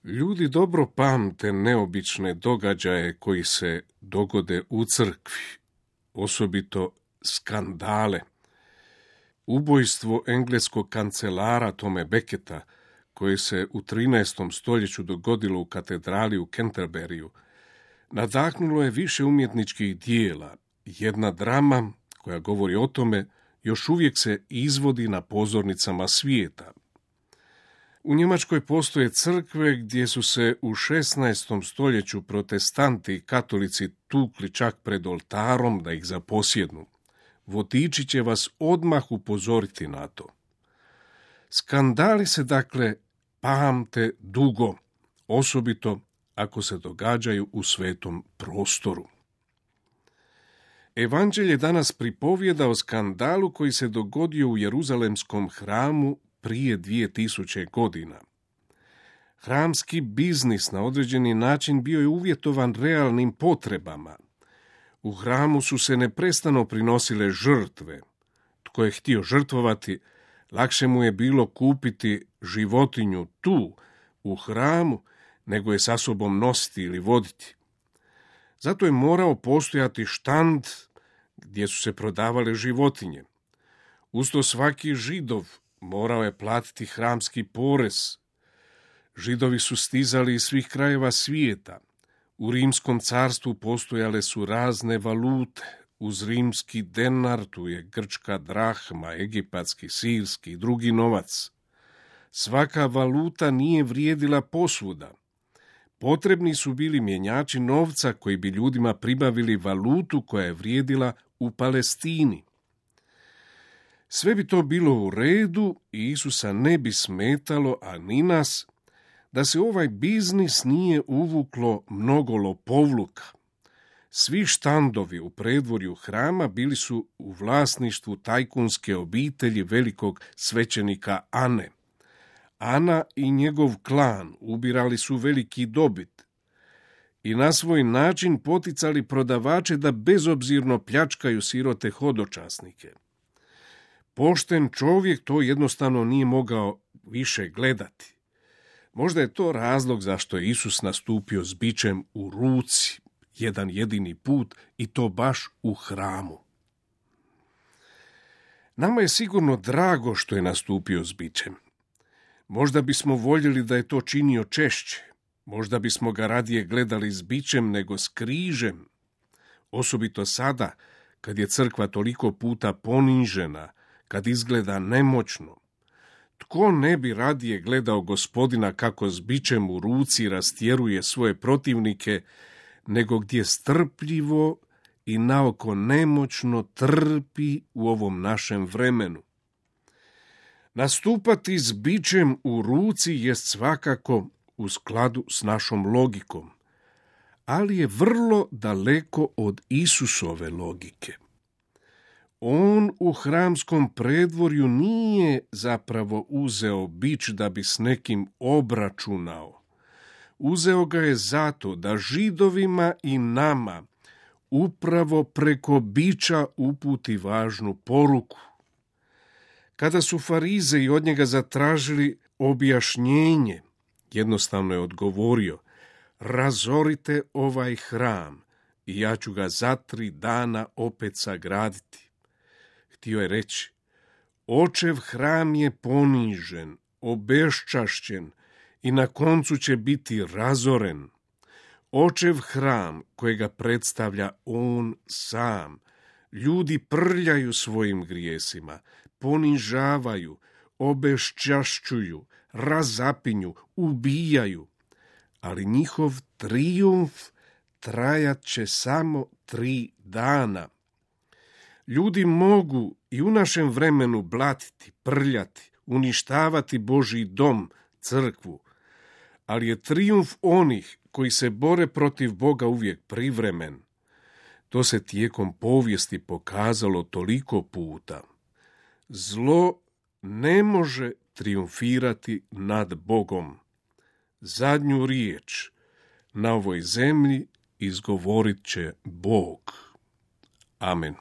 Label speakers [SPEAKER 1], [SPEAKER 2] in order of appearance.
[SPEAKER 1] Ljudi dobro pamte neobične događaje koji se dogode u crkvi, osobito skandale. Ubojstvo engleskog kancelara Tome Becketa, koje se u 13. stoljeću dogodilo u katedrali u Canterburyju, nadahnulo je više umjetničkih dijela. Jedna drama koja govori o tome još uvijek se izvodi na pozornicama svijeta. U Njemačkoj postoje crkve gdje su se u 16. stoljeću protestanti i katolici tukli čak pred oltarom da ih zaposjednu. Vodiči će vas odmah upozoriti na to. Skandali se dakle pamte dugo, osobito ako se događaju u svetom prostoru. Evanđelje danas pripovijeda o skandalu koji se dogodio u Jeruzalemskom hramu prije 2000 godina. Hramski biznis na određeni način bio je uvjetovan realnim potrebama. U hramu su se neprestano prinosile žrtve. Tko je htio žrtvovati, lakše mu je bilo kupiti životinju tu, u hramu, nego je sa sobom nositi ili voditi. Zato je morao postojati štand gdje su se prodavale životinje. Usto svaki Židov morao je platiti hramski porez. Židovi su stizali iz svih krajeva svijeta. U Rimskom carstvu postojale su razne valute. Uz rimski denar tu je grčka drahma, egipatski, sirski i drugi novac. Svaka valuta nije vrijedila posvuda. Potrebni su bili mjenjači novca koji bi ljudima pribavili valutu koja je vrijedila u Palestini. Sve bi to bilo u redu i Isusa ne bi smetalo, a ni nas, da se ovaj biznis nije uvuklo mnogo lopovluka. Svi štandovi u predvorju hrama bili su u vlasništvu tajkunske obitelji velikog svećenika Ane. Ana i njegov klan ubirali su veliki dobit i na svoj način poticali prodavače da bezobzirno pljačkaju sirote hodočasnike. Pošten čovjek to jednostavno nije mogao više gledati. Možda je to razlog zašto je Isus nastupio s bičem u ruci, jedan jedini put, i to baš u hramu. Nama je sigurno drago što je nastupio s bičem. Možda bismo voljeli da je to činio češće. Možda bismo ga radije gledali s bičem nego s križem. Osobito sada, kad je crkva toliko puta ponižena, kad izgleda nemoćno. Tko ne bi radije gledao Gospodina kako s bičem u ruci rastjeruje svoje protivnike, nego gdje strpljivo i naoko nemoćno trpi u ovom našem vremenu. Nastupati s bičem u ruci jest svakako u skladu s našom logikom, ali je vrlo daleko od Isusove logike. On u hramskom predvorju nije zapravo uzeo bič da bi s nekim obračunao. Uzeo ga je zato da Židovima i nama upravo preko biča uputi važnu poruku. Kada su Farizeji od njega zatražili objašnjenje, jednostavno je odgovorio: razorite ovaj hram i ja ću ga za 3 dana opet sagraditi. Htio je reći: očev hram je ponižen, obeščašćen i na koncu će biti razoren. Očev hram kojega predstavlja on sam. Ljudi prljaju svojim grijesima, ponižavaju, obeščašćuju, razapinju, ubijaju, ali njihov trijumf trajat će samo 3 dana. Ljudi mogu i u našem vremenu blatiti, prljati, uništavati Božji dom, crkvu, ali je trijumf onih koji se bore protiv Boga uvijek privremen. To se tijekom povijesti pokazalo toliko puta. Zlo ne može trijumfirati nad Bogom. Zadnju riječ na ovoj zemlji izgovorit će Bog. Amen.